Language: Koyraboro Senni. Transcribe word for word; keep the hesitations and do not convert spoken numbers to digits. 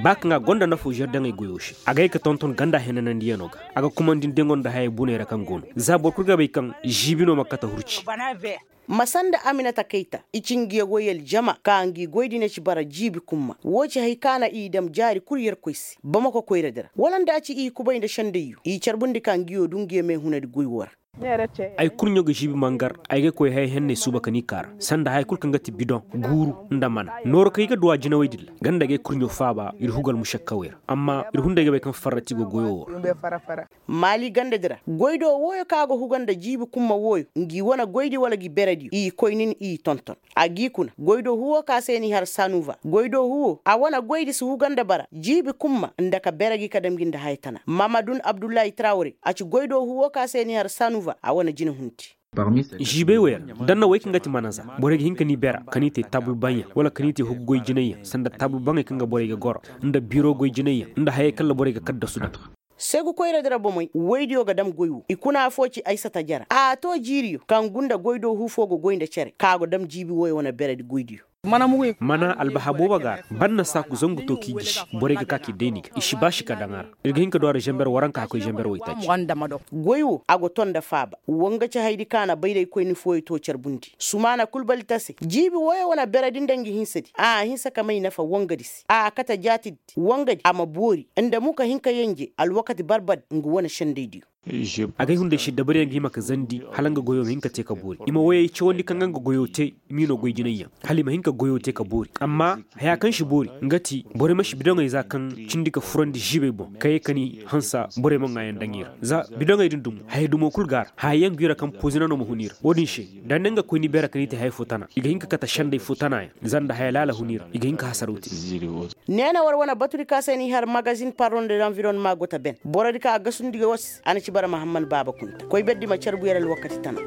Ba kaŋ a gonda nafo žerdaŋey goyo se, a ga ye ka tonton ganda henanandiyanoo ga. A ga kumandi nda yaŋo nda hayey buney ra kaŋ go no, za boro kul ga bay kaŋ žiibi no ma kate hurci. Ma sanda aminata kayta, i ci ngiya woy aljama ka ngi goy dina ci bara jiibi kumma. Wo ci hay ka na i dam jaari kul yerkoy se bamako koyradi ra, wala nda a ci i kubay nda sendayyo i carbundi ka ngiyo du ngiya meehunadi goy wo ra. Ay kurɲo ga žiibi mangar. Ay ga koy haya henney suuba ka ni kaara sanda haya kul kaŋ ga ti bidoŋ, guuru, nda mana nooro kaŋ i ga duw'a jinawey din ra. Ganda ga ay kurɲo faaba ir hugu almušakkawey ra. Amma ir hunday ga bay kaŋ farrati go goyo wo ra. Maali gandadi ra goydo wooyo kaŋ a ga huga nda jiibi kumma wooyo, ngi wane goydi wala gi berediyo i koy nin i tonton. A g'i kuna goydo huwo ka se n'i har sanuva goydo huwo a wane goydi si huga nda bara jiibi kumma, nda ka bere gi ka dam gi nda haya tana mamadun abdullahi trawre a ci goydo huwo ka se n'i har sanuva a wane jina hunti. Žibey wey ra, danna wey kaŋ ga ti manaza, borey ga hin ka ni bera ka ni te taabul baŋyaŋ wala ka ni te hugu goy jinayyaŋ sanda taabul baŋey kaŋ ga borey ga goro, nda biro goy jinayyaŋ nda hayey kaŋ ra borey ga kaddasu daŋ. Segu koyradi ra bomey woydiyo ga dam goy wo i kuna afo ci aysata jara a to jiiriyo kaŋ gunda goydo hu fo ga goy nda cere ka go dam jiibi woyo wane beredi goydiyo. Mana albaha boobo ga a ra. Banna saaku zangu to k'i gisi, borey ga ka k'i dayni ga i si baasi ka daŋ a ra. Ir ga hin ka du a ra zamber waranka ka koy zamber waytaaci. Goy wo a go ton nda faaba. Wanga ci haydi ka na bayraykoyni fooyo to carbundi sumaana kul balita se jiibi woyo wane beredi nda ngi hinsadi a hinsa ka may nafa wangadi se a kate jaatidi wangadi a ma boori nda mu ka hin ka yenje alwakati barbad ngu wane sendaydiyo. Agay hunday se dabariyaŋ ga hima ka zandi hala nga goyo ma hin ka te ka boori i ma woyey cawandi kaŋ ga nga goyo te. Miino goy jinayyaŋ hala i ma hin ka goyo te ka boori amma haya kaŋ si boori nga ti borey ma si bidoŋey za kaŋ cindi ka furandi ziibey boŋ ka ye ka ni hansa borey ma ŋaayaŋ daŋ i ra. Za bidoŋey din dumo haya dumo kul go a ra haya yaŋ go i ra kaŋ pozina no ma hun i ra wo-din se. Da ni nga koy ni beera ka ni te haya fo tana i ga hin ka kate senday fo tana yaŋ za nda haya laala hun i ra i ga hin ka hasaraw te. Neena war wane batudi ka se ni har magazin pardon de l'environnement go ta ben borodi ka a gasundi ga war se a na ci bara mahamman baaba kunta koy berdi ma carbu yer alwakati tana.